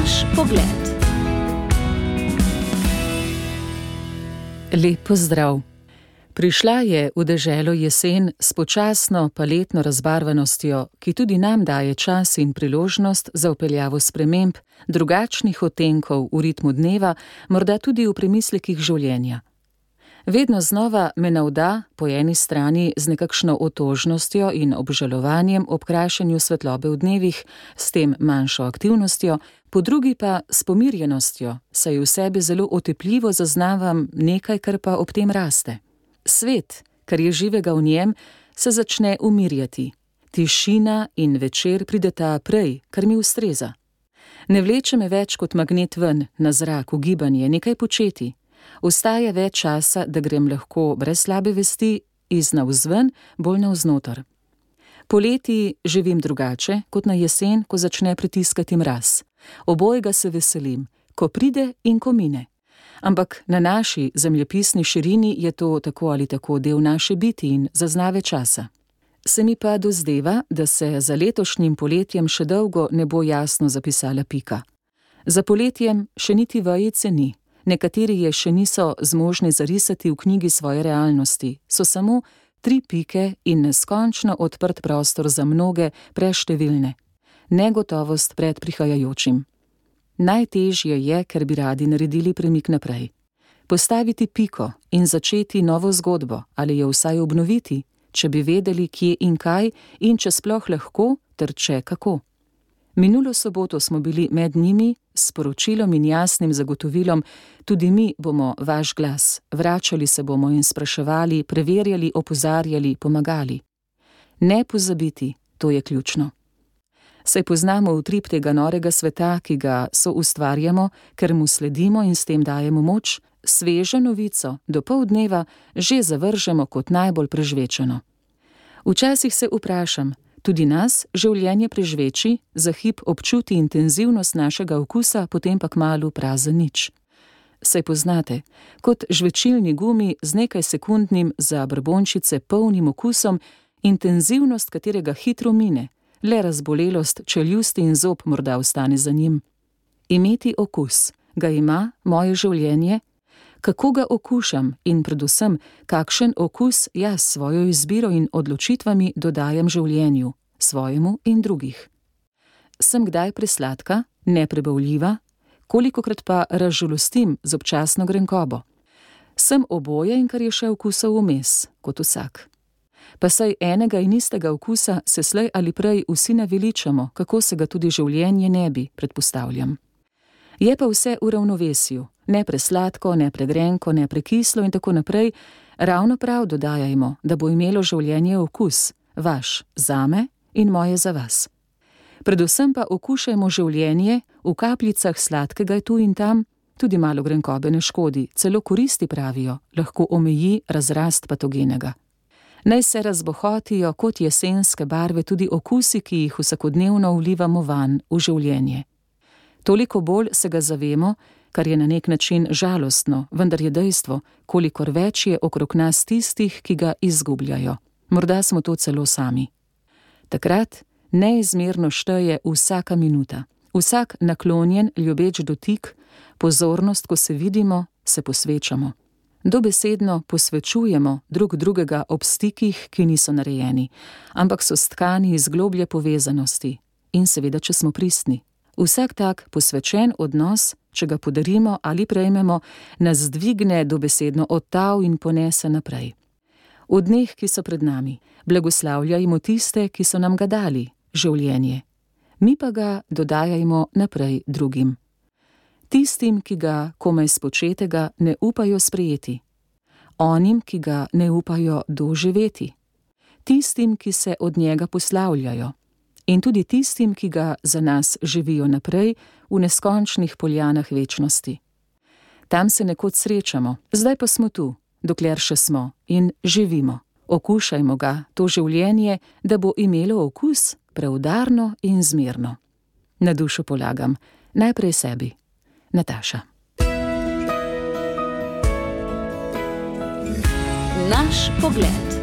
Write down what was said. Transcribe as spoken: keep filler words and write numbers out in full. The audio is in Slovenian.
Naš pogled. Lep pozdrav. Prišla je v deželo jesen s počasno paletno razbarvanostjo, ki tudi nam daje čas in priložnost za vpeljavo sprememb, drugačnih odtenkov v ritmu dneva, morda tudi v premislekih življenja. Vedno znova me navda po eni strani z nekakšno otožnostjo in obžalovanjem ob krašenju svetlobe v dnevih, s tem manjšo aktivnostjo, po drugi pa s pomirjenostjo, saj v sebi zelo otepljivo zaznavam nekaj, kar pa ob tem raste. Svet, kar je živega v njem, se začne umirjati. Tišina in večer prideta prej, kar mi ustreza. Ne vleče me več kot magnet ven, na zrak, v gibanje, nekaj početi. Ostaja več časa, da grem lahko brez slabe vesti iz navzven, bolj navznoter. Poleti živim drugače, kot na jesen, ko začne pritiskati mraz. Obojega se veselim, ko pride in ko mine. Ampak na naši zemljepisni širini je to tako ali tako del naše biti in zaznave časa. Se mi pa dozdeva, da se za letošnjim poletjem še dolgo ne bo jasno zapisala pika. Za poletjem še niti vejice ni. Nekateri je še niso zmožni zarisati v knjigi svoje realnosti, so samo tri pike in neskončno odprt prostor za mnoge preštevilne. Negotovost pred prihajajočim. Najtežje je, ker bi radi naredili premik naprej. Postaviti piko in začeti novo zgodbo ali jo vsaj obnoviti, če bi vedeli, kje in kaj in če sploh lahko, ter če kako. Minulo soboto smo bili med njimi s sporočilom in jasnim zagotovilom, tudi mi bomo vaš glas, vračali se bomo in spraševali, preverjali, opozarjali, pomagali. Ne pozabiti, to je ključno. Saj poznamo utrip tega norega sveta, ki ga soustvarjamo, ker mu sledimo in s tem dajemo moč, svežo novico do pol dneva že zavržemo kot najbolj prežvečeno. Včasih se vprašam, tudi nas življenje prežveči, za hip občuti intenzivnost našega okusa, potem pa kmalu prazen nič. Saj poznate, kot žvečilni gumi z nekaj sekundnim za brbončice polnim okusom, intenzivnost katerega hitro mine, le razbolelost čeljusti in zob morda ostane za njim. Imeti okus, ga ima moje življenje? Kako ga okušam in predvsem, kakšen okus jaz svojo izbiro in odločitvami dodajam življenju, svojemu in drugih? Sem kdaj presladka, neprebavljiva, kolikokrat pa razžalostim z občasno grenkobo? Sem oboje in kar je še okusov vmes, kot vsak. Pa saj enega in istega okusa se slej ali prej vsi naveličamo, kako se ga tudi življenje ne bi, predpostavljam. Je pa vse v ravnovesju, ne presladko, ne pregrenko, ne prekislo in tako naprej, ravno prav dodajajmo, da bo imelo življenje okus, vaš zame in moje za vas. Predvsem pa okušajmo življenje, v kapljicah sladkega je tu in tam, tudi malo grenkobe ne škodi, celo koristi pravijo, lahko omeji razrast patogenega. Naj se razbohotijo kot jesenske barve tudi okusi, ki jih vsakodnevno vlivamo van v življenje. Toliko bolj se ga zavemo, kar je na nek način žalostno, vendar je dejstvo, kolikor več je okrog nas tistih, ki ga izgubljajo. Morda smo to celo sami. Takrat neizmerno šteje vsaka minuta, vsak naklonjen, ljubeč dotik, pozornost, ko se vidimo, se posvečamo. Dobesedno posvečujemo drug drugega ob stikih, ki niso narejeni, ampak so stkani iz globlje povezanosti in seveda, če smo pristni. Vsak tak posvečen odnos, če ga podarimo ali prejmemo, nas dvigne dobesedno od tal in ponese naprej. V dneh, ki so pred nami, blagoslavljajmo tiste, ki so nam ga dali, življenje. Mi pa ga dodajajmo naprej drugim. Tistim, ki ga komaj spočetega ne upajo sprejeti. Onim, ki ga ne upajo doživeti. Tistim, ki se od njega poslavljajo. In tudi tistim, ki ga za nas živijo naprej v neskončnih poljanah večnosti. Tam se nekoč srečamo, zdaj pa smo tu, dokler še smo in živimo. Okušajmo ga, to življenje, da bo imelo okus preudarno in zmerno. Na dušo polagam, najprej sebi. Nataša. Naš pogled.